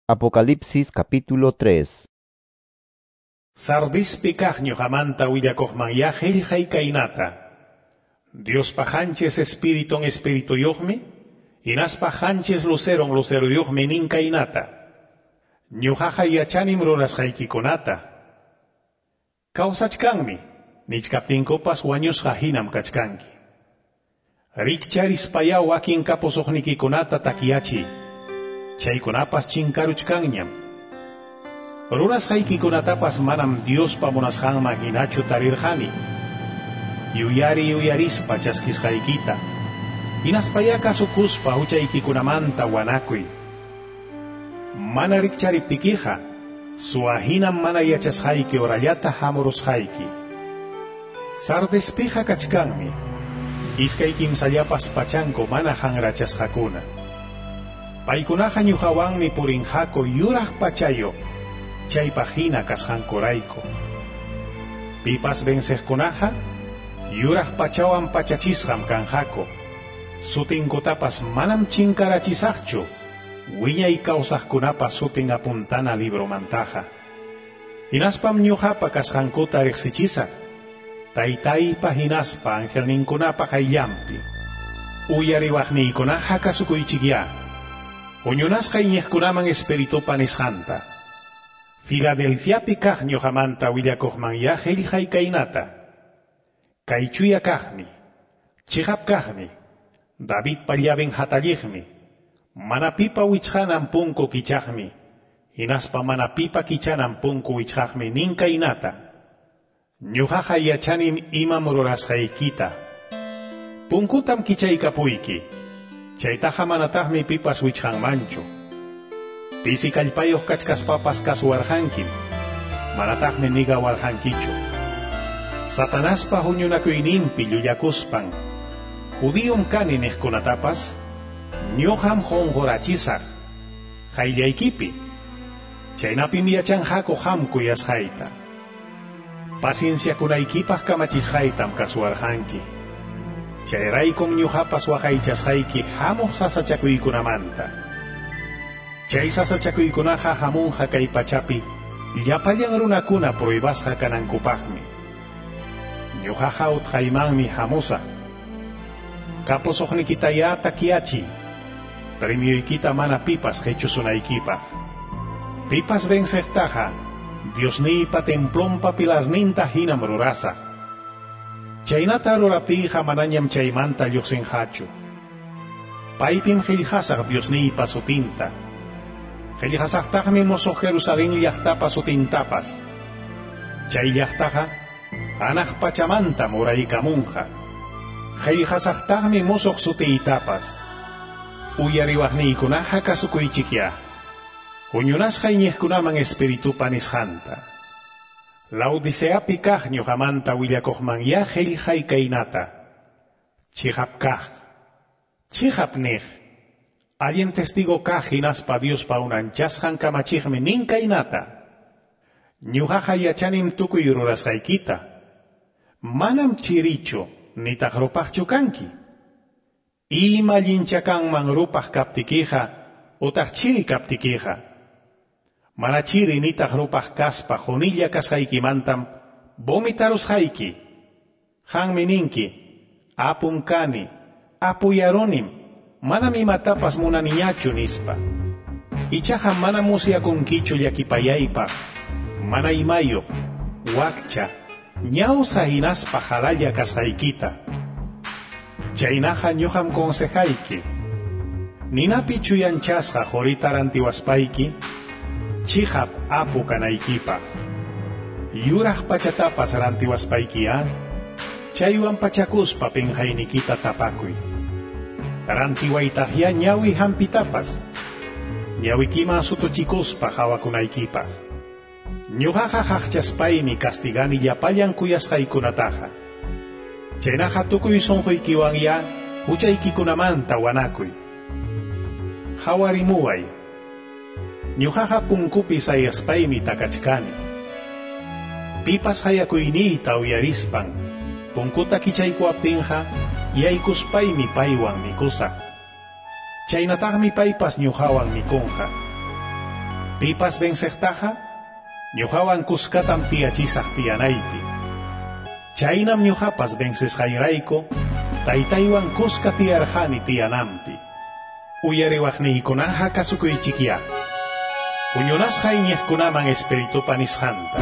Apocalipsis capítulo 3. Sardispi kaq ñuqamanta willakuqmanyá qillqay kaynata. Diospa qanchis espiritun espirituyuqmi, hinaspa qanchis luceron luceruyuqmi nin kaynata. Ñuqaqa yachanim rurasqaykikunata. Kawsachkanmi, nichkaptinkupas wañusqa hinam kachkanki. Rikcharispayá wakin kapusuqnikikunata takyachiy. Chaykunapas chinkaruchkanñam. Rurasqaykikunatapas manam Diospa munasqanman hinachu tarirqani. Yuyari yuyarispa chaskisqaykita. Hinaspayá kasukuspa huchaykikunamanta wanakuy. Mana rikchariptikiqa, suwa hinam mana yachasqayki horallata hamurusqayki. Sardespiqa kachkanmi, iskay kimsallapas pachanku mana hanrachasqakuna. Paykunaqa ñuqawanmi purinqaku yuraq pachayuq, chaypaq hina kasqankurayku. Pipas venceqkunaqa, yuraq pachawan pachachisqam kanqaku. Sutinkutapas manam chinkarachisaqchu, wiñay kawsaqkunapa sutin apuntana libromantaqa. Hinaspam ñuqapa kasqankuta riqsichisaq, taytaypa hinaspa angelninkunapa qayllanpi. Uyariwaqniykunaqa kasukuychikyá. Huñunasqa iñiqkunaman espiritupa nisqanta. Filadelfiapi kaq ñuqamanta willakuqmanyá qillqay kaynata. Kay chuya kaqmi, chiqap kaqmi, Davidpa llaven hatalliqmi, mana pipa wichqanan punku kichaqmi, hinaspa mana pipa kichanan punku wichqaqmi nin kaynata. Ñuqaqa yachanim imam rurasqaykita. Punkutam kichaykapuyki. Chaytaqa manataqmi pipas wichqanmanchu. Pisi kallpayuq kachkaspapas kasuwarqankim, manataqmi nigawarqankichu. Satanaspa huñunakuyninpi llullakuspan, judiyum kani niqkunatapas, ñuqam qunqurachisaq, qayllaykipi. Chaynapim yachanqaku qam kuyasqayta. Pacienciakunaykipaq kamachisqaytam kasuwarqanki. Chayraykum ñuqapas waqaychasqayki hamuq sasachakuykunamanta. Chay sasachakuykunaqa hamunqa kay pachapi llapallan runakuna pruebasqa kanankupaqmi. Ñuqaqa utqaymanmi hamusaq. Kapusuqnikitayá takyachiy, premioykita mana pipas qichusunaykipaq. Pipas venceqtaqa Diosniypa templonpa pilarninta hinam rurasaq. Chaynata ruraptiyqa manañam chaymanta lluqsinqachu. Paypim qillqasaq Diosniypa sutinta. Qillqasaqtaqmi musuq Jerusalén llaqtapa sutintapas. Chay llaqtaqa hanaq pachamanta muraykamunqa. Qillqasaqtaqmi musuq sutiytapas. Uyariwaqniykunaqa kasukuychikyá. Huñunasqa iñiqkunaman espiritupa nisqanta. Laodiceapi kaq ñuqamanta willakuqmanyá qillqay kaynata. Chiqap kaq, chiqap niq, allin testigo kaq hinaspa Diospa unanchasqan kamachiqmi nin kaynata. Ñuqaqa yachanim tukuy rurasqaykita. Manam chirichu nitaq rupaqchu kanki. Ima allincha kanman rupaq kaptikiqa utaq chiri kaptikiqa. Mana chiri nitaq rupaq kaspa qunilla kasqaykimantam vomitarusqayki. Qanmi ninki, apum kani, apuyarunim, manam imatapas munaniñachu nispa. Ichaqa mana musyakunkichu llakipayaypaq, mana imayuq, wakcha, ñawsa hinaspa qalalla kasqaykita. Chaynaqa ñuqam consejayki. Ninapi chuyanchasqa qurita rantiwaspayki, chiqap apu kanaykipaq. Yuraq pachatapas rantiwaspaykiya, chaywan pachakuspa pinqaynikita tapakuy. Rantiwaytaqyá ñawi hampitapas, ñawikiman sutuchikuspa hawakunaykipaq. Ñuqaqa qaqchaspaymi castigani llapallan kuyasqaykunataqa. Chaynaqa tukuy sunquykiwanyá huchaykikunamanta wanakuy. Hawarimuway. Ñuqaqa punkupi sayaspaymi takachkani. Pipas hayakuyniyta uyarispan, punkuta kichaykuwaptinqa, yaykuspaymi paywan mikusaq. Chaynataqmi paypas ñuqawan mikunqa. Pipas venceqtaqa, ñuqawan kuskatam tiyachisaq tiyanaypi. Chaynam ñuqapas vencesqayrayku, taytaywan kuska tiyarqani tiyananpi. Uyariwaqniykunaqa kasukuychikyá. Huñunasqa iñiqkunaman Espiritupa nisqanta.